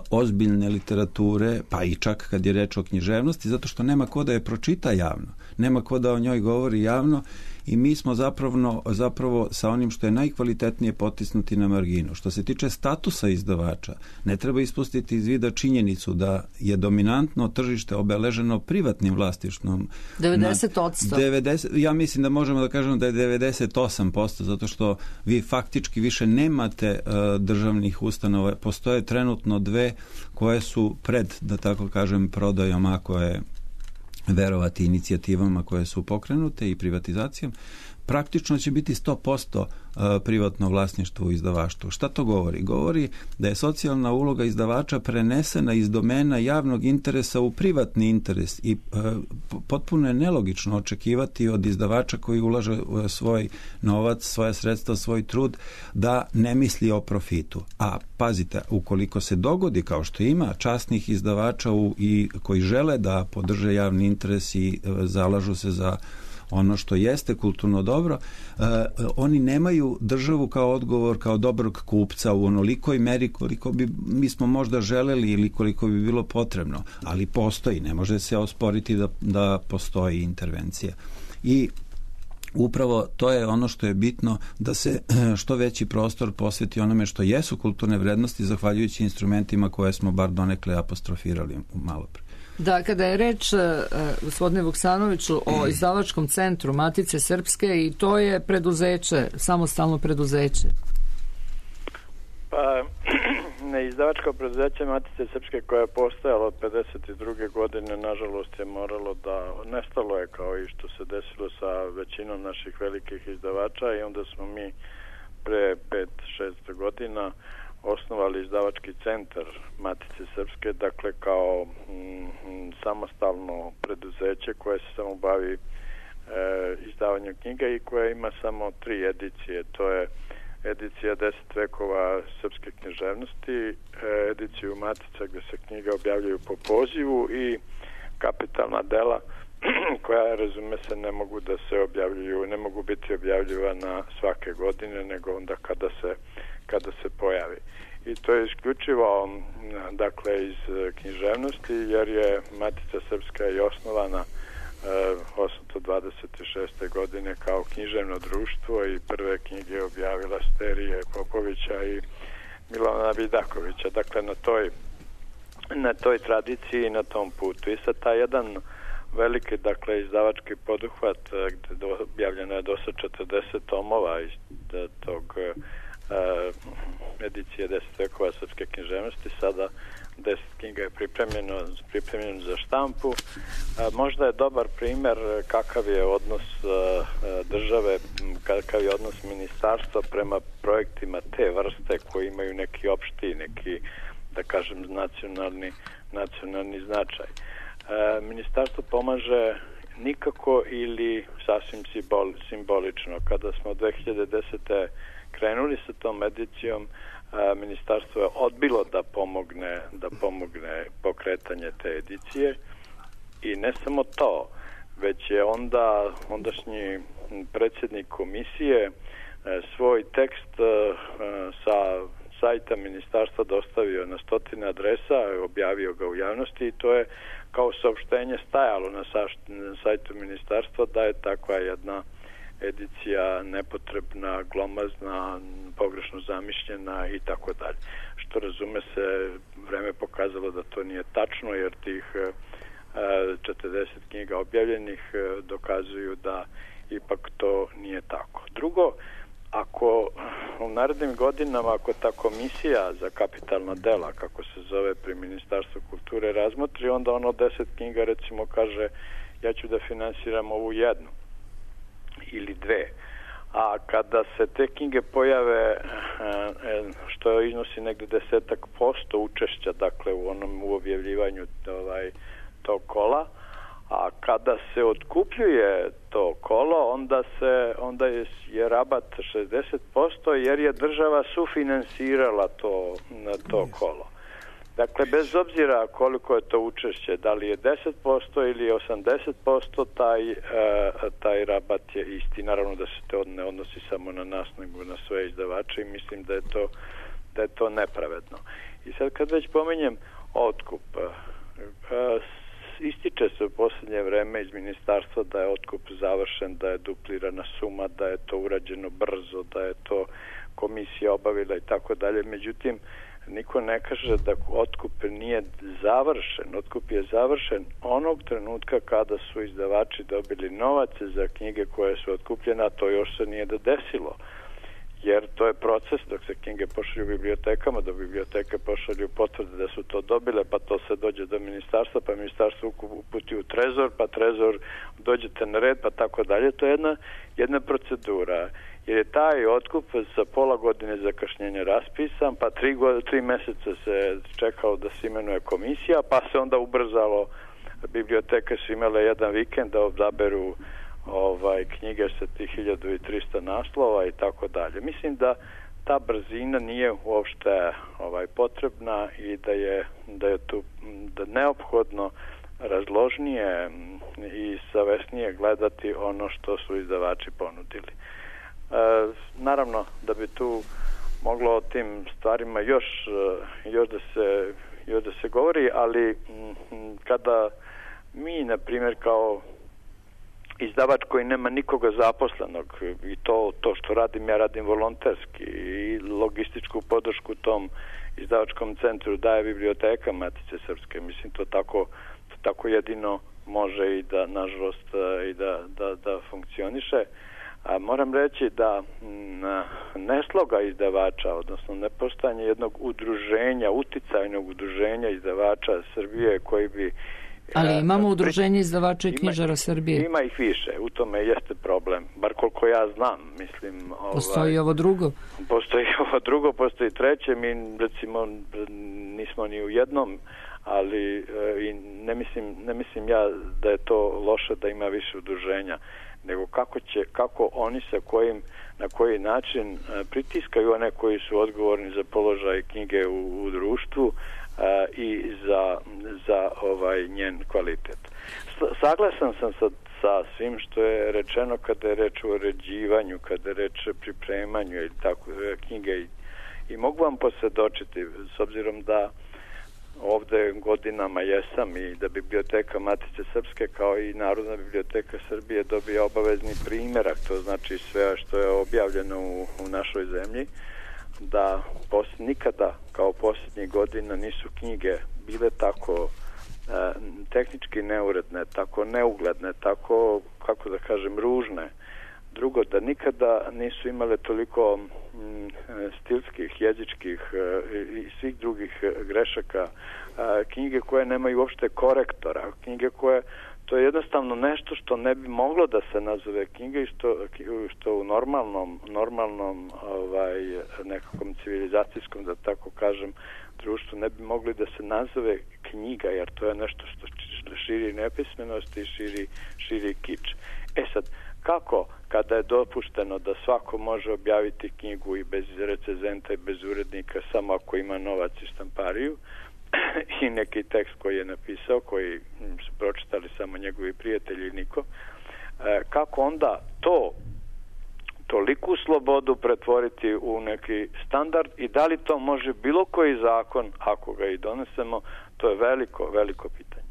ozbiljne literature, pa i čak kad je reč o književnosti, zato što nema ko da je pročita javno, nema ko da o njoj govori javno, i mi smo zapravo sa onim što je najkvalitetnije potisnuti na marginu. Što se tiče statusa izdavača, ne treba ispustiti iz vida činjenicu da je dominantno tržište obeleženo privatnim vlasništvom. 90%. Ja mislim da možemo da kažemo da je 98%, zato što vi faktički više nemate državnih ustanova. Postoje trenutno dve koje su pred, da tako kažem, prodajom, ako je verovati inicijativama koje su pokrenute i privatizacijom. Praktično će biti 100% privatno vlasništvo u izdavaštvu. Šta to govori? Govori da je socijalna uloga izdavača prenesena iz domena javnog interesa u privatni interes, i potpuno je nelogično očekivati od izdavača koji ulaže svoj novac, svoje sredstva, svoj trud, da ne misli o profitu. A pazite, ukoliko se dogodi, kao što ima časnih izdavača i koji žele da podrže javni interes i zalažu se za ono što jeste kulturno dobro, oni nemaju državu kao odgovor, kao dobrog kupca u onolikoj meri koliko bi mi smo možda želeli ili koliko bi bilo potrebno, ali postoji, ne može se osporiti da postoji intervencija. I upravo to je ono što je bitno, da se što veći prostor posveti onome što jesu kulturne vrednosti, zahvaljujući instrumentima koje smo bar donekle apostrofirali malo pre. Da, kada je reč, gospodine Vuksanoviću, o izdavačkom centru Matice Srpske, i to je preduzeće, samostalno preduzeće. Pa, izdavačko preduzeće Matice Srpske, koje je postojalo od 52. godine, nažalost je moralo da, nestalo je, kao i što se desilo sa većinom naših velikih izdavača, i onda smo mi pre 5-6 godina osnovali izdavački centar Matice Srpske, dakle kao samostalno preduzeće koje se samo bavi izdavanjem knjiga i koja ima samo 3 edicije. To je edicija 10 vekova srpske književnosti, ediciju Matica gde se knjige objavljaju po pozivu, i kapitalna dela koja, razume se, ne mogu da se objavljuju, ne mogu biti objavljivana svake godine, nego onda kada se pojavi. I to je isključivo, dakle, iz književnosti, jer je Matica Srpska i osnovana 826. godine kao književno društvo, i prve knjige objavila Sterije Popovića i Milana Vidakovića. Dakle, na toj tradiciji i na tom putu. I sad taj jedan veliki, dakle, izdavački poduhvat, gde objavljeno je do sad 40 tomova iz tog edicije 10 vekova srpske književnosti, sada 10 knjiga je pripremljeno za štampu. Možda je dobar primer kakav je odnos države, kakav je odnos ministarstva prema projektima te vrste koji imaju neki opšti, neki, da kažem, nacionalni značaj. Ministarstvo pomaže nikako ili sasvim simbolično. Kada smo 2010. krenuli sa tom edicijom, ministarstvo je odbilo da pomogne pokretanje te edicije i ne samo to, već je ondašnji predsjednik komisije svoj tekst sa sajta ministarstva dostavio na 100 adresa, objavio ga u javnosti i to je kao saopštenje stajalo na sajtu ministarstva da je takva jedna edicija nepotrebna, glomazna, pogrešno zamišljena i tako dalje. Što razume se, vreme pokazalo da to nije tačno, jer tih 40 knjiga objavljenih dokazuju da ipak to nije tako. Drugo, ako u narednim godinama, ako ta komisija za kapitalna dela, kako se zove pri Ministarstvu kulture, razmotri, onda ono 10 knjiga recimo kaže ja ću da finansiram ovu jednu ili dve. A kada se te knjige pojave, što iznosi negde 10% učešća, dakle u objavljivanju tog kola, a kada se otkupljuje to kolo, onda je rabat 60%, jer je država sufinansirala to kolo. Dakle, bez obzira koliko je to učešće, da li je 10% ili 80%, taj rabat je isti. Naravno da se to ne odnosi samo na nas, nego na sve izdavače i mislim da je to nepravedno. I sad kad već pominjem otkup, ističe se u posljednje vreme iz ministarstva da je otkup završen, da je duplirana suma, da je to urađeno brzo, da je to komisija obavila i tako dalje. Međutim, niko ne kaže da otkup nije završen. Otkup je završen onog trenutka kada su izdavači dobili novac za knjige koje su otkupljene, a to još se nije desilo. Jer to je proces dok se knjige pošalju bibliotekama, dok biblioteke pošalju potvrde da su to dobile, pa to se dođe do ministarstva, pa ministarstvo uputi u trezor, pa trezor dođete na red, pa tako dalje. To je jedna procedura. Jer je taj otkup sa pola godine zakašnjenja raspisan, pa 3 meseca se čekalo da se imenuje komisija, pa se onda ubrzalo. Biblioteke su imale jedan vikend da odaberu knjige sa tih 1300 naslova i tako dalje. Mislim da ta brzina nije uopšte potrebna i da je tu neophodno razložnije i savesnije gledati ono što su izdavači ponudili. Naravno da bi tu moglo o tim stvarima još da se govori, ali kada mi, na primjer, kao izdavač koji nema nikoga zaposlenog, i to što radim, ja radim volonterski i logističku podršku tom izdavačkom centru daje Biblioteka Matice Srpske. Mislim, to tako jedino može i da, nažalost, i da funkcioniše. A moram reći da nesloga izdavača, odnosno nepostojanje jednog udruženja, uticajnog udruženja izdavača Srbije koji bi... Ali imamo udruženje izdavača i knjižara Srbije. Ima ih više, u tome jeste problem, bar koliko ja znam, mislim... Postoji ovo drugo? Postoji ovo drugo, postoji treće, mi recimo nismo ni u jednom, ali ne mislim ja da je to loše da ima više udruženja, nego kako oni na koji način pritiskaju one koji su odgovorni za položaj knjige u društvu i za njen kvalitet. Saglasan sam sa svim što je rečeno kada je reč o uređivanju, kada je reč o pripremanju i tako knjige i mogu vam posvjedočiti, s obzirom da ovde godinama jesam i da Biblioteka Matice Srpske kao i Narodna biblioteka Srbije dobije obavezni primjerak, to znači sve što je objavljeno u našoj zemlji, da nikada kao posljednjih godina nisu knjige bile tako tehnički neuredne, tako neugledne, tako, kako da kažem, ružne. Drugo, da nikada nisu imale toliko stilskih, jezičkih i svih drugih grešaka, knjige koje nemaju uopšte korektora, knjige koje, to je jednostavno nešto što ne bi moglo da se nazove knjiga i što u normalnom nekakvom civilizacijskom, da tako kažem, društvu ne bi mogli da se nazove knjiga, jer to je nešto širi nepismenost i širi kič. Sad, kako kada je dopušteno da svako može objaviti knjigu i bez recenzenta i bez urednika samo ako ima novac i štampariju i neki tekst koji je napisao, koji su pročitali samo njegovi prijatelji i niko, kako onda toliku slobodu pretvoriti u neki standard i da li to može bilo koji zakon, ako ga i donesemo, to je veliko pitanje.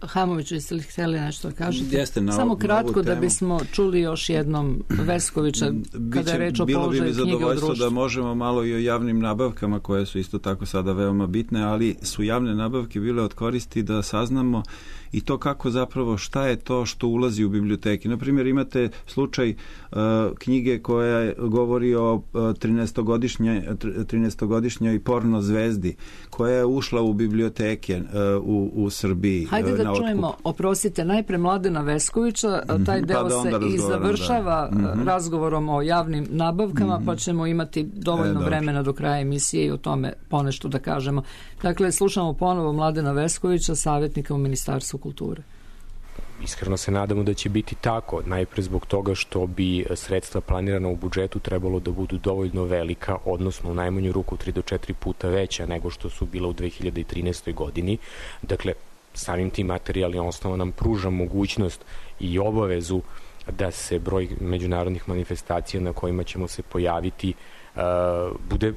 Hamoviću, jeste li htjeli nešto da kažete? Jeste, samo kratko da bismo čuli još jednom Veskovića kada je reč o položaju knjige u društvu. Bilo bi mi zadovoljstvo da možemo malo i o javnim nabavkama koje su isto tako sada veoma bitne, ali su javne nabavke bile od koristi da saznamo i to kako zapravo šta je to što ulazi u biblioteki. Naprimjer, imate slučaj knjige koja govori o 13-godišnjoj porno zvezdi koja je ušla u biblioteke u Srbiji. Hajde da čujemo, oprostite, najpre Mladena Veskovića, taj deo se i završava razgovorom o javnim nabavkama, pa ćemo imati dovoljno vremena do kraja emisije i o tome ponešto da kažemo. Dakle, slušamo ponovo Mladena Veskovića, savjetnika u Ministarstvu kulture. Iskreno se nadamo da će biti tako, najpre zbog toga što bi sredstva planirana u budžetu trebalo da budu dovoljno velika, odnosno u najmanju ruku 3 do 4 puta veća nego što su bila u 2013. godini. Dakle, samim tim materijalni osnova nam pruža mogućnost i obavezu da se broj međunarodnih manifestacija na kojima ćemo se pojaviti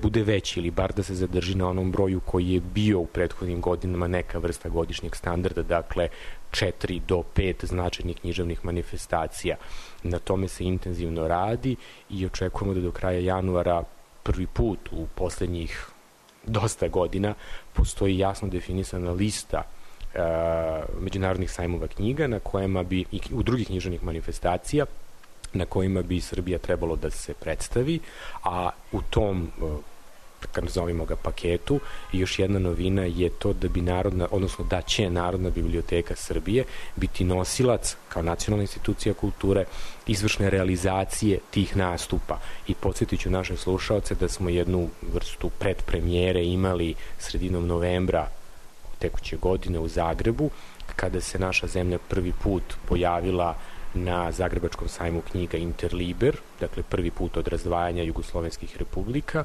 bude veći ili bar da se zadrži na onom broju koji je bio u prethodnim godinama neka vrsta godišnjeg standarda, dakle 4 do 5 značajnih književnih manifestacija. Na tome se intenzivno radi i očekujemo da do kraja januara prvi put u poslednjih dosta godina postoji jasno definisana lista međunarodnih sajmova knjiga na kojima bi i u drugih književnih manifestacija na kojima bi Srbija trebalo da se predstavi, a u tom, kad nazovimo ga paketu, još jedna novina je to da bi da će Narodna biblioteka Srbije biti nosilac, kao nacionalna institucija kulture, izvršne realizacije tih nastupa. I podsjetit ću naše slušaoce da smo jednu vrstu predpremijere imali sredinom novembra tekuće godine u Zagrebu, kada se naša zemlja prvi put pojavila na Zagrebačkom sajmu knjiga Interliber, dakle prvi put od razdvajanja jugoslovenskih republika,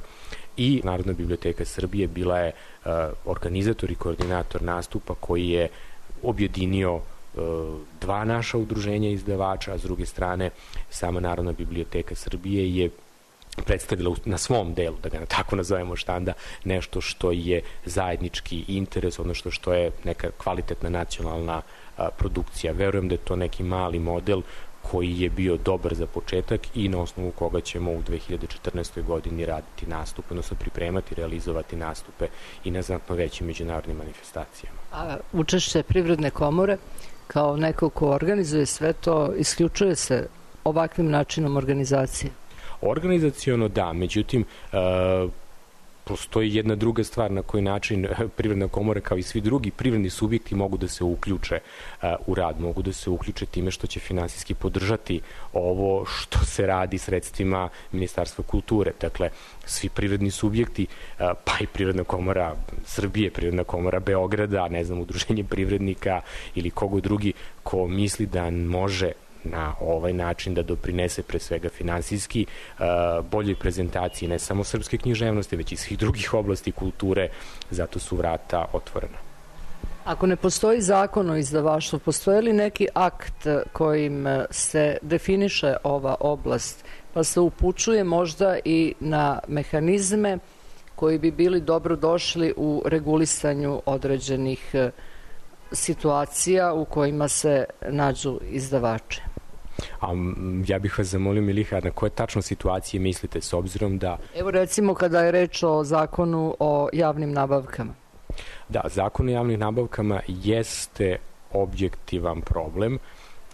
i Narodna biblioteka Srbije bila je organizator i koordinator nastupa koji je objedinio dva naša udruženja izdavača, a s druge strane sama Narodna biblioteka Srbije je predstavila na svom delu, da ga tako nazovemo štanda, nešto što je zajednički interes, odnosno što je neka kvalitetna nacionalna produkcija. Verujem da je to neki mali model koji je bio dobar za početak i na osnovu koga ćemo u 2014. godini raditi nastupe, odnosno pripremati, realizovati nastupe i na znatno većim međunarodnim manifestacijama. A učešće Privredne komore kao neko ko organizuje sve to, isključuje se ovakvim načinom organizacije? Organizaciono da, međutim postoji jedna druga stvar na koji način Privredna komora kao i svi drugi privredni subjekti mogu da se uključe u rad, mogu da se uključe time što će finansijski podržati ovo što se radi sredstvima Ministarstva kulture. Dakle, svi privredni subjekti, pa i Privredna komora Srbije, Privredna komora Beograda, ne znam, udruženje privrednika ili kogo drugi ko misli da može na ovaj način da doprinese pre svega finansijski boljoj prezentaciji ne samo srpske književnosti, već i svih drugih oblasti kulture, zato su vrata otvorena. Ako ne postoji zakon o izdavaštvu, postoji li neki akt kojim se definiše ova oblast, pa se upućuje možda i na mehanizme koji bi bili dobro došli u regulisanju određenih situacija u kojima se nađu izdavače? A ja bih vas zamolio, Miliha, na koje tačno situacije mislite, s obzirom da... Evo recimo kada je reč o zakonu o javnim nabavkama. Da, zakon o javnim nabavkama jeste objektivan problem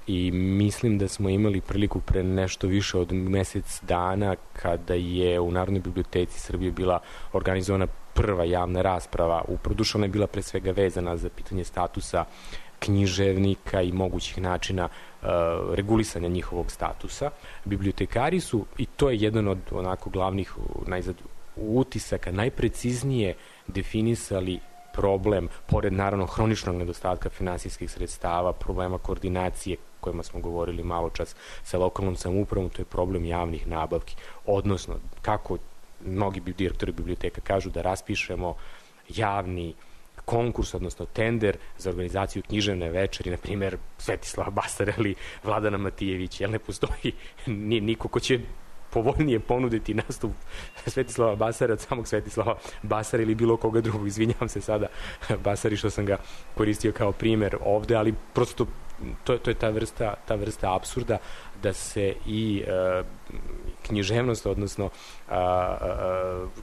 i mislim da smo imali priliku pre nešto više od mesec dana kada je u Narodnoj biblioteci Srbije bila organizovana prva javna rasprava. Uprodušana je bila pre svega vezana za pitanje statusa književnika i mogućih načina regulisanja njihovog statusa. Bibliotekari su, i to je jedan od onako glavnih utisaka, najpreciznije definisali problem, pored naravno hroničnog nedostatka finansijskih sredstava, problema koordinacije kojima smo govorili malo čas sa lokalnom samoupravom, to je problem javnih nabavki. Odnosno, kako mnogi direktori biblioteka kažu, da raspišemo javni konkurs, odnosno tender za organizaciju književne večeri, na primjer Svetislava Basara ili Vladana Matijevića, jer ne postoji niko ko će povoljnije ponuditi nastup Svetislava Basara od samog Svetislava Basara ili bilo koga drugog. Izvinjavam se sada Basari što sam ga koristio kao primjer ovde, ali prosto to je ta vrsta apsurda da se i književnost, odnosno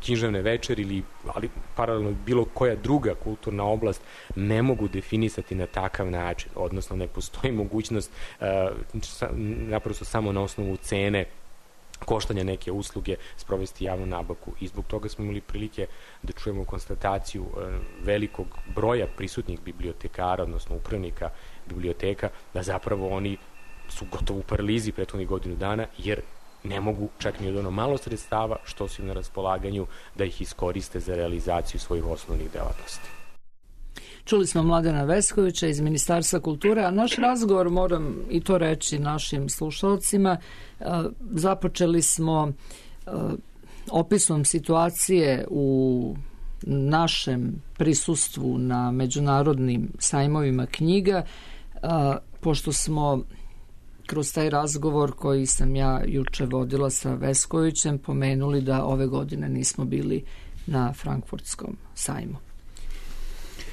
književne večeri ali paralelno bilo koja druga kulturna oblast ne mogu definisati na takav način, odnosno ne postoji mogućnost naprosto samo na osnovu cene koštanja neke usluge sprovesti javnu nabavku, i zbog toga smo imali prilike da čujemo konstataciju velikog broja prisutnih bibliotekara, odnosno upravnika biblioteka, da zapravo oni su gotovo u paralizi prethodnih godinu dana, jer ne mogu čak ni od ono malo sredstava što su im na raspolaganju da ih iskoriste za realizaciju svojih osnovnih delatnosti. Čuli smo Mladena Veskovića iz Ministarstva kulture, a naš razgovor, moram i to reći našim slušalcima, započeli smo opisom situacije u našem prisustvu na međunarodnim sajmovima knjiga, pošto smo kroz taj razgovor koji sam ja juče vodila sa Veskovićem pomenuli da ove godine nismo bili na Frankfurtskom sajmu.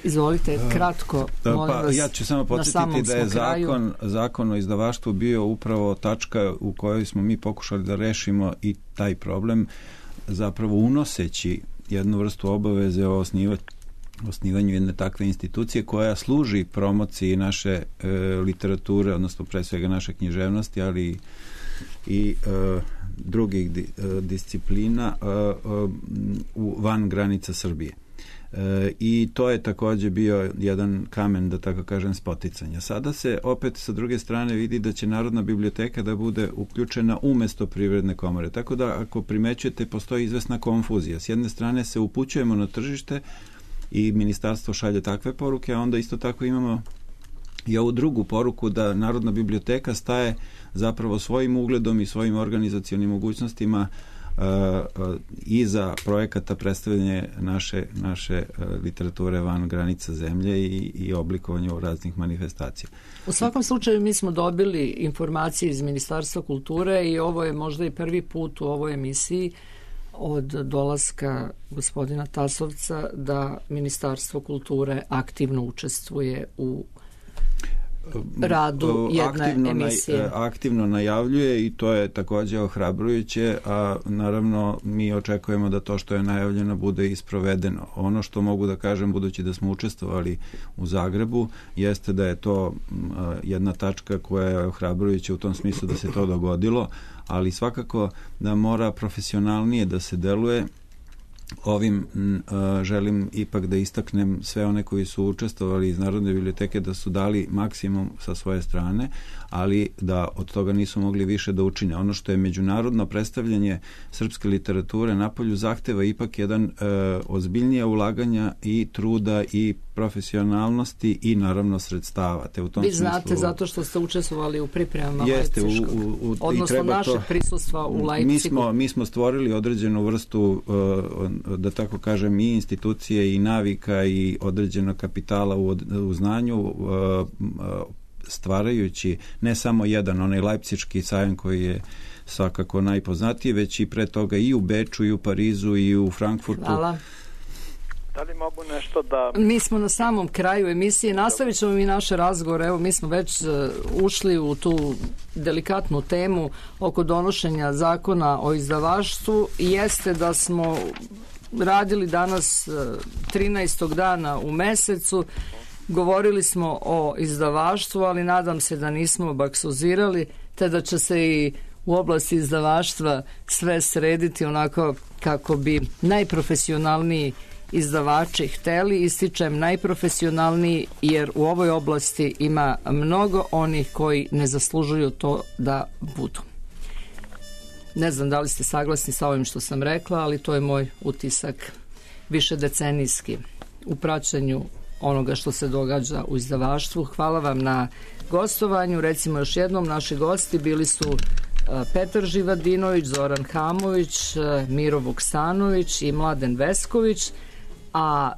Izvolite, kratko, molim vas. Ja ću samo podsjetiti da je zakon o izdavaštvu bio upravo tačka u kojoj smo mi pokušali da rešimo i taj problem, zapravo unoseći jednu vrstu obaveze o osnivanju jedne takve institucije koja služi promociji naše literature, odnosno pre svega naše književnosti, ali i drugih disciplina van granica Srbije. I to je takođe bio jedan kamen, da tako kažem, spoticanja. Sada se opet sa druge strane vidi da će Narodna biblioteka da bude uključena umesto Privredne komore. Tako da, ako primećujete, postoji izvesna konfuzija. S jedne strane se upućujemo na tržište i ministarstvo šalje takve poruke, a onda isto tako imamo i ovu drugu poruku da Narodna biblioteka staje zapravo svojim ugledom i svojim organizacionim mogućnostima iza projekata predstavljanja naše literature van granica zemlje i oblikovanja u raznih manifestacija. U svakom slučaju mi smo dobili informacije iz Ministarstva kulture i ovo je možda i prvi put u ovoj emisiji od dolaska gospodina Tasovca da Ministarstvo kulture aktivno učestvuje u radu jedne emisije. Aktivno najavljuje i to je takođe ohrabrujuće, a naravno mi očekujemo da to što je najavljeno bude isprovedeno. Ono što mogu da kažem, budući da smo učestvovali u Zagrebu, jeste da je to jedna tačka koja je ohrabrujuća u tom smislu da se to dogodilo, ali svakako da mora profesionalnije da se deluje. Ovim želim ipak da istaknem sve one koji su učestvovali iz Narodne biblioteke da su dali maksimum sa svoje strane, ali da od toga nisu mogli više da učine. Ono što je međunarodno predstavljanje srpske literature napolju zahteva ipak jedan ozbiljnije ulaganja i truda i profesionalnosti i naravno sredstava. Te u tom Vi znate zato što ste učestvovali u pripremama Lajpciškog, odnosno našeg prisustva u Lajpcigu. Mi smo stvorili određenu vrstu, da tako kažem, i institucije i navika i određenog kapitala u znanju, stvarajući ne samo jedan, onaj Lajpciški sajam koji je svakako najpoznatiji, već i pre toga i u Beču, i u Parizu, i u Frankfurtu. Hvala. Da li mogu nešto da... Mi smo na samom kraju emisije, nastavit ćemo mi naše razgovore, evo mi smo već ušli u tu delikatnu temu oko donošenja zakona o izdavaštvu. Jeste da smo radili danas 13. dana u mesecu, govorili smo o izdavaštvu, ali nadam se da nismo baksuzirali, te da će se i u oblasti izdavaštva sve srediti onako kako bi najprofesionalniji izdavači hteli. Ističem najprofesionalniji jer u ovoj oblasti ima mnogo onih koji ne zaslužuju to da budu. Ne znam da li ste saglasni sa ovim što sam rekla, ali to je moj utisak višedecenijski u praćenju onoga što se događa u izdavaštvu. Hvala vam na gostovanju. Recimo još jednom, naši gosti bili su Petar Živadinović, Zoran Hamović, Miro Vuksanović i Mladen Vesković, a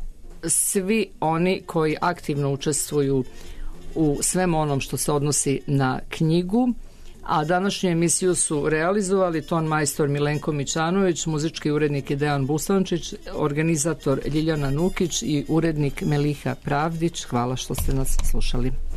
svi oni koji aktivno učestvuju u svem onom što se odnosi na knjigu. A današnju emisiju su realizovali ton majstor Milenko Mićanović, muzički urednik Dejan Busančić, organizator Ljiljana Nukić i urednik Meliha Pravdić. Hvala što ste nas slušali.